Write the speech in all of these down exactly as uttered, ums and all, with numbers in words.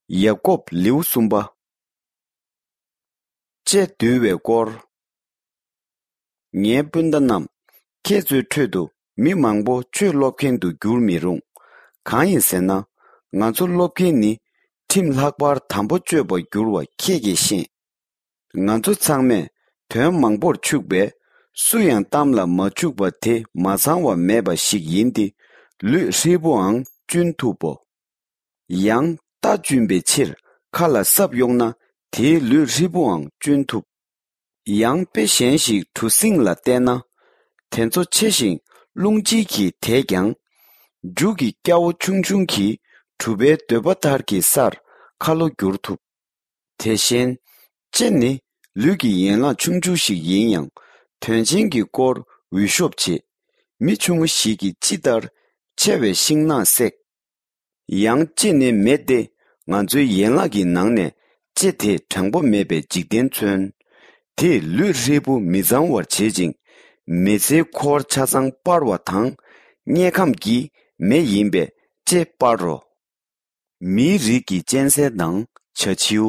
ཡ་ཀོབ་ལེའུ་གསུམ་པ། ལྕེ་འདུལ་བའི་སྐོར། ངའི་སྤུན་ཟླ་རྣམས། ཁྱེད་ཚོའི་ཁྲོད་དུ་མི་མང་པོ་ཆོས་སློབ་མཁན་དུ་འགྱུར་མི་རུང་། གང་ཡིན་ཟེར་ན། ང་ཚོ་སློབ་མཁན་ནི་ཁྲིམས་ལྷག་པར་དམ་པོ་སྤྱོད་པར་འགྱུར་བ་ཁྱེད་ཀྱིས་ཤེས། ང་ཚོ་ཚང་མས་དོན་མང་པོར་འཕྱུགས་པས། སུ་ཡང་གཏམ་ལ་མ་འཕྱུགས་པ་དེ་མ་ཚང་བ་མེད་པ་ཞིག་ཡིན་ཏེ། ལུས་ཧྲིལ་པོའང་གཅུན་ཐུབ་བོ། ཡང་རྟ་གཅུན་པའི་ཕྱིར་ཁ་ལ་སྲབ་གཡོགས་ན། དེའི་ལུས་ཧྲིལ་པོའང་གཅུན་ཐུབ། ཡང་དཔེ་གཞན་ཞིག་གྲུ་གཟིངས་ལ་བལྟས་ན། དེ་ཚོ་ཆེ་ཞིང་རླུང་ལྕི་གིས་དེད་ཀྱང་། རྒྱུ་གི་སྐྱ་བོ་ཆུང་ཆུང་གིས་གྲུ་པའི་འདོད་པ་ལྟར་གྱི་སར་ཁ་ལོ་བསྒྱུར་ཐུབ། དེ་བཞིན། ལྕེ་ནི་ལུས་ཀྱི་ཡན་ལག་ཆུང་ཆུང་ཞིག་ཡིན་ཡང་། དོན་ཆེན་གྱི་སྐོར་འུད་ཤོབ་བྱེད། མི་ཆུང་ངུ་ཞིག་གིས་ཅི་ལྟར་ཆེ་བའི་ཤིང་ནགས་བསྲེགས། ཡང་ལྕེ་ནི་མེ་སྟེ། ང་ཚོའི་ཡན་ལག་གི་ནང་ནས་ལྕེ་དེས་དྲང་པོ་མེད་པའི་འཇིག་རྟེན་མཚོན། དེས་ལུས་ཧྲིལ་པོ་མི་གཙང་བར་བྱེད་ཅིང་། མི་ཚེའི་འཁོར་ཆ་ཚང་སྤར་བ་དང་། དམྱལ་ཁམས་ཀྱི་མེ་ཡིན་པས་ལྕེ་སྤར་རོ། མིའི་རིགས་ཀྱི་གཅན་གཟན་དང་བྱ་བྱིའུ།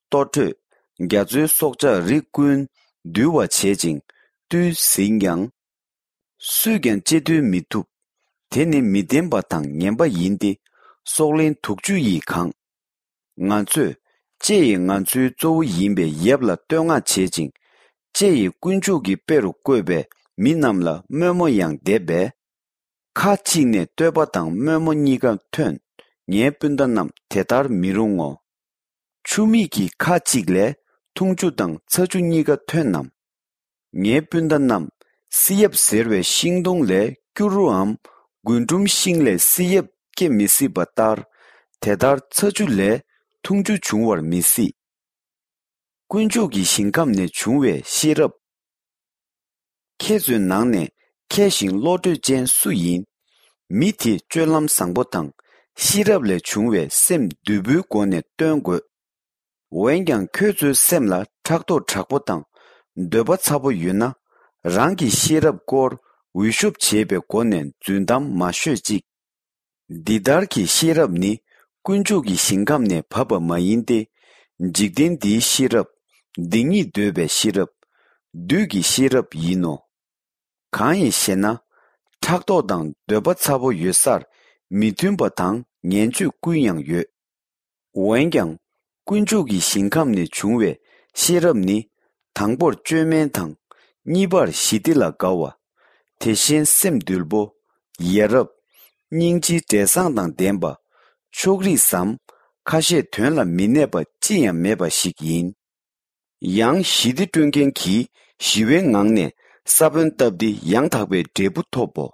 ལྟོ་འཕྲོད། རྒྱ་མཚོའི་སྲོག་ཆགས་རིགས་ཀུན་འདུལ་བར་བྱེད་ཅིང་བཏུལ་ཟིན་ཀྱང་། སུས་ཀྱང་ལྕེ་བཏུལ་མི་ཐུབ། དེ་ནི་མི་བདེན་པ་དང་ངན་པ་ཡིན་ཏེ། སྲོག་ལན་དུག་ཆུ་ཡིས་གང་། ང་ཚོས་ལྕེ་ཡིས་ང་ཚོའི་གཙོ་བོ་ཡིན་པའི་ཡབ་ལ་བསྟོད་བསྔགས་བྱེད་ཅིང་། ལྕེ་ཡིས་དཀོན་མཆོག་གི་དཔེ་རུ་བཀོད་པའི་མི་རྣམས་ལ་དམོད་མོ་ཡང་འདེབས་པས། ཁ་གཅིག་ནས་བསྟོད་པ་དང་དམོད་མོ་གཉིས་ཀ་ཐོན། ངའི་སྤུན་ཟླ་རྣམས་དེ་ལྟར་མི་རུང་ངོ་། ཆུ་མིག་གི་ཁ་གཅིག་ལས་འཐུང་ཆུ་དང་ཚ་ཆུ་གཉིས་ཀ་ཐོན་ནམ། ངའི་སྤུན་ཟླ་རྣམས། བསིལ་ཡབ་ཟེར་བའི་ཤིང་སྡོང་ལས་སྐྱུ་རུའམ་རྒུན་འབྲུམ་ཤིང་ལས་བསིལ་ཡབ་སྐྱེ་མི་སྲིད་པ་ལྟར། དེ་ལྟར་ཚ་ཆུ་ལས་འཐུང་ཆུ་འབྱུང་བར་མི་སྲིད། དཀོན་མཆོག་གི་ཞིང་ཁམས་ནས་བྱུང་བའི་ཤེས་རབ། ཁྱེད་ཚོའི་ནང་ནས་མཁས་ཤིང་བློ་གྲོས་ཅན་སུ་ཡིན། མི་དེས་སྤྱོད་ལམ་བཟང་པོ་དང་ཤེས་རབ་ལས་བྱུང་བའི་སེམས་དུལ་པོའི་སྒོ་ནས་སྟོན་དགོས། འོན་ཀྱང་ཁྱོད་ཚོའི་སེམས་ལ་ཕྲག་དོག་དྲག་པོ་དང་འདོད་པ་ཚ་པོ་ཡོད་ན། རང་གི་ཤེས་རབ་སྐོར་འུད་ཤོབ་བྱེད་པའི་སྒོ་ནས་རྫུན་གཏམ་མ་ཤོད་ཅིག། འདི་ལྟར་གྱི་ཤེས་རབ་ནི་དཀོན་མཆོག་གི་ཞིང་ཁམས་ནས་བབས་པ་མ་ཡིན་ཏེ། འཇིག་རྟེན་འདིའི་ཤེས་རབ། སྡིག་ཉེས་འདོད་པའི་ཤེས་རབ། བདུད་ཀྱི་ཤེས་རབ་ཡིན་ནོ། གང་ཡིན་ཞེ་ན། ཕྲག་དོག་དང་འདོད་པ་ཚ་པོ་ཡོད་སར་མི་མཐུན་པ་དང་ངན་སྤྱོད་ཀུན་ཡང་ཡོད། འོན་ཀྱང་། དཀོན་མཆོག་གི་ཞིང་ཁམས་ནས་བྱུང་བའི་ཤེས་རབ་ནི། དང་པོར་བཅོས་མིན་དང་། གཉིས་པར་ཞི་བདེ་ལ་དགའ་བ། དེ་བཞིན་སེམས་དུལ་པོ། ཡ་རབས། སྙིང་རྗེའི་འབྲས་བཟང་དང་ལྡན་པ། ཕྱོགས་རིས་སམ། ཁ་བཤད་དོན་ལ་མི་གནས་པ་ཅི་ཡང་མེད་པ་ཞིག་ཡིན། ཡང་ཞི་བདེ་སྐྲུན་མཁན་གྱིས་ཞི་བའི་ངང་ནས་ས་བོན་བཏབ་སྟེ་ཡང་དག་པའི་འབྲས་བུ་ཐོབ་བོ།